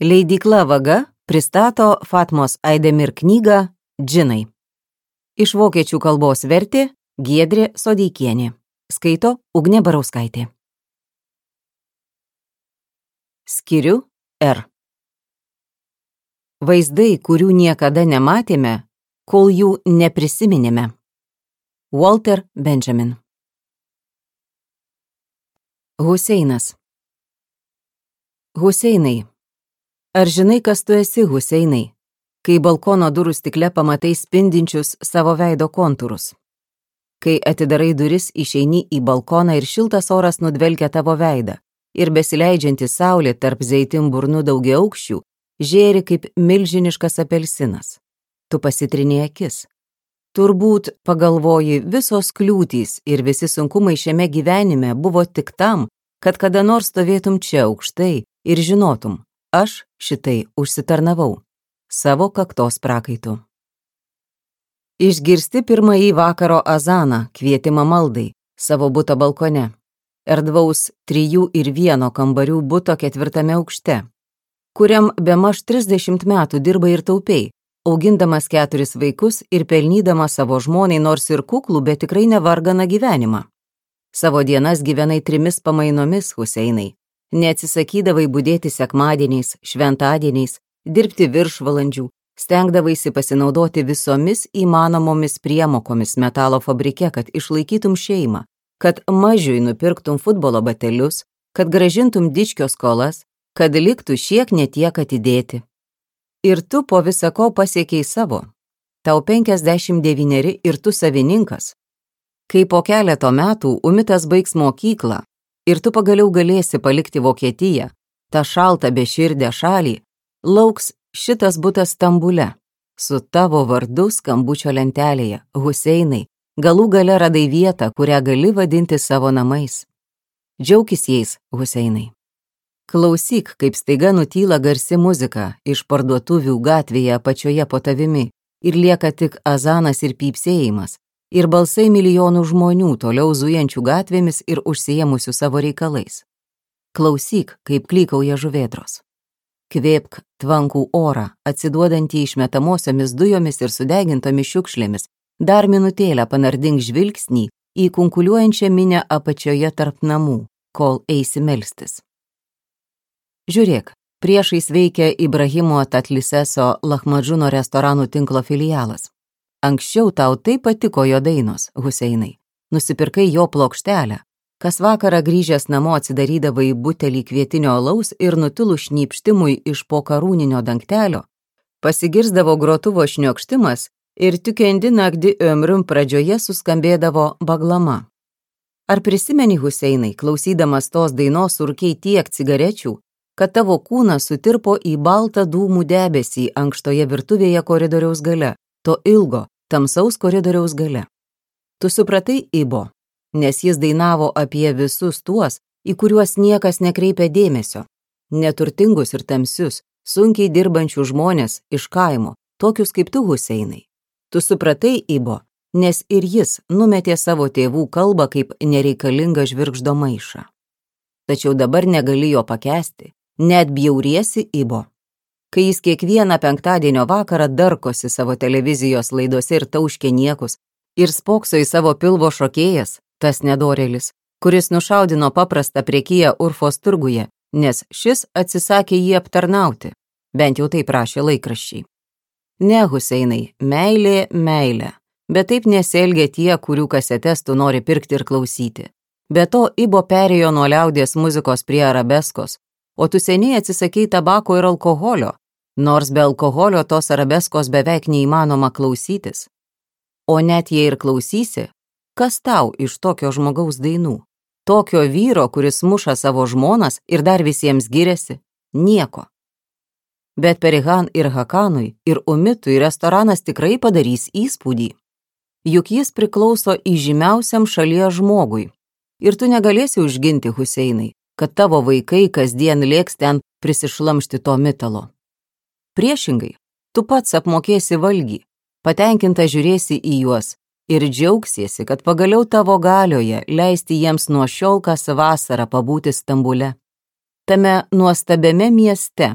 Leidykla Vaga pristato Fatmos Aidemir knygą Džinai. Iš vokiečių kalbos vertė Giedrė Sodeikienė. Skaito Ugnė Barauskaitė. Skiriu R. Vaizdai, kurių niekada nematėme, kol jų neprisiminėme. Walter Benjamin. Huseinas. Huseinai. Ar žinai, kas tu esi, Huseinai, kai balkono durų stikle pamatai spindinčius savo veido kontūrus? Kai atidarai duris, išeini į balkoną ir šiltas oras nudvelkia tavo veidą ir besileidžianti saulė tarp zeitimburnų daugiaaukščių žėri kaip milžiniškas apelsinas. Tu pasitrini akis. Turbūt, pagalvoji, visos kliūtys ir visi sunkumai šiame gyvenime buvo tik tam, kad kada nors stovėtum čia aukštai ir žinotum, aš šitai užsitarnavau savo kaktos prakaitu. Išgirsti pirmąjį vakaro azaną, kvietimą maldai, savo buto balkone, erdvaus 3 ir 1 kambarių buto 4 aukšte, kuriam bemaž 30 metų dirba ir taupiai, augindamas 4 vaikus ir pelnydamas savo žmonai nors ir kuklų, bet tikrai nevarganą gyvenimą. Savo dienas gyvenai 3 pamainomis, Huseinai. Neatsisakydavai budėti sekmadieniais, šventadieniais, dirbti viršvalandžių, stengdavaisi pasinaudoti visomis įmanomomis priemokomis metalo fabrike, kad išlaikytum šeimą, kad mažiui nupirktum futbolo batelius, kad grąžintum dičkio skolas, kad liktų šiek netiek atidėti. Ir tu po visako pasiekiai savo. Tau 59 ir tu savininkas. Kai po keleto metų Umitas baigs mokyklą ir tu pagaliau galėsi palikti Vokietiją, tą šaltą beširdę šalį, lauks šitas butas Stambule, su tavo vardu skambučio lentelėje, Huseinai, galų gale radai vietą, kurią gali vadinti savo namais. Džiaukis jais, Huseinai. Klausyk, kaip staiga nutyla garsi muzika iš parduotuvių gatvėje apačioje po tavimi ir lieka tik azanas ir pypsėjimas, ir balsai milijonų žmonių toliau zujančių gatvėmis ir užsiėmusių savo reikalais. Klausyk, kaip klykauja žuvėdros. Kvėpk tvankų orą, atsiduodantį išmetamosiomis dujomis ir sudegintomis šiukšlėmis, dar minutėlę panardink žvilgsnį į kunkuliuojančią minią apačioje tarp namų, kol eisi melstis. Žiūrėk, priešais veikia Ibrahimo Tatliseso Lahmadžuno restoranų tinklo filialas. Anksčiau tau taip patiko jo dainos, Huseinai. Nusipirkai jo plokštelę. Kas vakarą grįžęs namo atsidarydavai butelį kvietinio alaus ir nutilus šnypštimui iš po karūninio dangtelio, pasigirsdavo grotuvo šniokštimas ir tikendi naktį ömrium pradžioje suskambėdavo baglama. Ar prisimeni, Huseinai, klausydamas tos dainos surkiai tiek cigarečių, kad tavo kūnas sutirpo į baltą dūmų debesį ankštoje virtuvėje koridoriaus gale, to ilgo, tamsaus koridoriaus gale. Tu supratai Ibo, nes jis dainavo apie visus tuos, į kuriuos niekas nekreipia dėmesio, neturtingus ir tamsius, sunkiai dirbančių žmonės iš kaimo, tokius kaip tu, Huseinai. Tu supratai Ibo, nes ir jis numetė savo tėvų kalbą kaip nereikalingą žvirgždo maišą. Tačiau dabar negali jo pakęsti, net bjauriesi Ibo. Kai jis kiekvieną penktadienio vakarą darkosi savo televizijos laidose ir tauškė niekus, ir spokso į savo pilvo šokėjas, tas nedorėlis, kuris nušaudino paprastą prekyją Urfos turguje, nes šis atsisakė jį aptarnauti, bent jau taip rašė laikraščiai. Ne, Huseinai, meilė, meilė, bet taip nesielgia tie, kurių kasetes tu nori pirkti ir klausyti. Be to, Ibo perėjo nuo liaudies muzikos prie arabeskos, o tu seniai atsisakei tabako ir alkoholio, nors be alkoholio tos arabeskos beveik neįmanoma klausytis. O net jei ir klausysi, kas tau iš tokio žmogaus dainų? Tokio vyro, kuris muša savo žmonas ir dar visiems giriasi? Nieko. Bet Perihan ir Hakanui ir Umitui restoranas tikrai padarys įspūdį. Juk jis priklauso įžymiausiam šalies žmogui. Ir tu negalėsi užginti, Huseinai, kad tavo vaikai kasdien lėks ten prisišlamšti to mitalo. Priešingai, tu pats apmokėsi valgį, patenkinta žiūrėsi į juos ir džiaugsiesi, kad pagaliau tavo galioje leisti jiems nuo šiol kas vasarą pabūti Stambule. Tame nuostabiame mieste,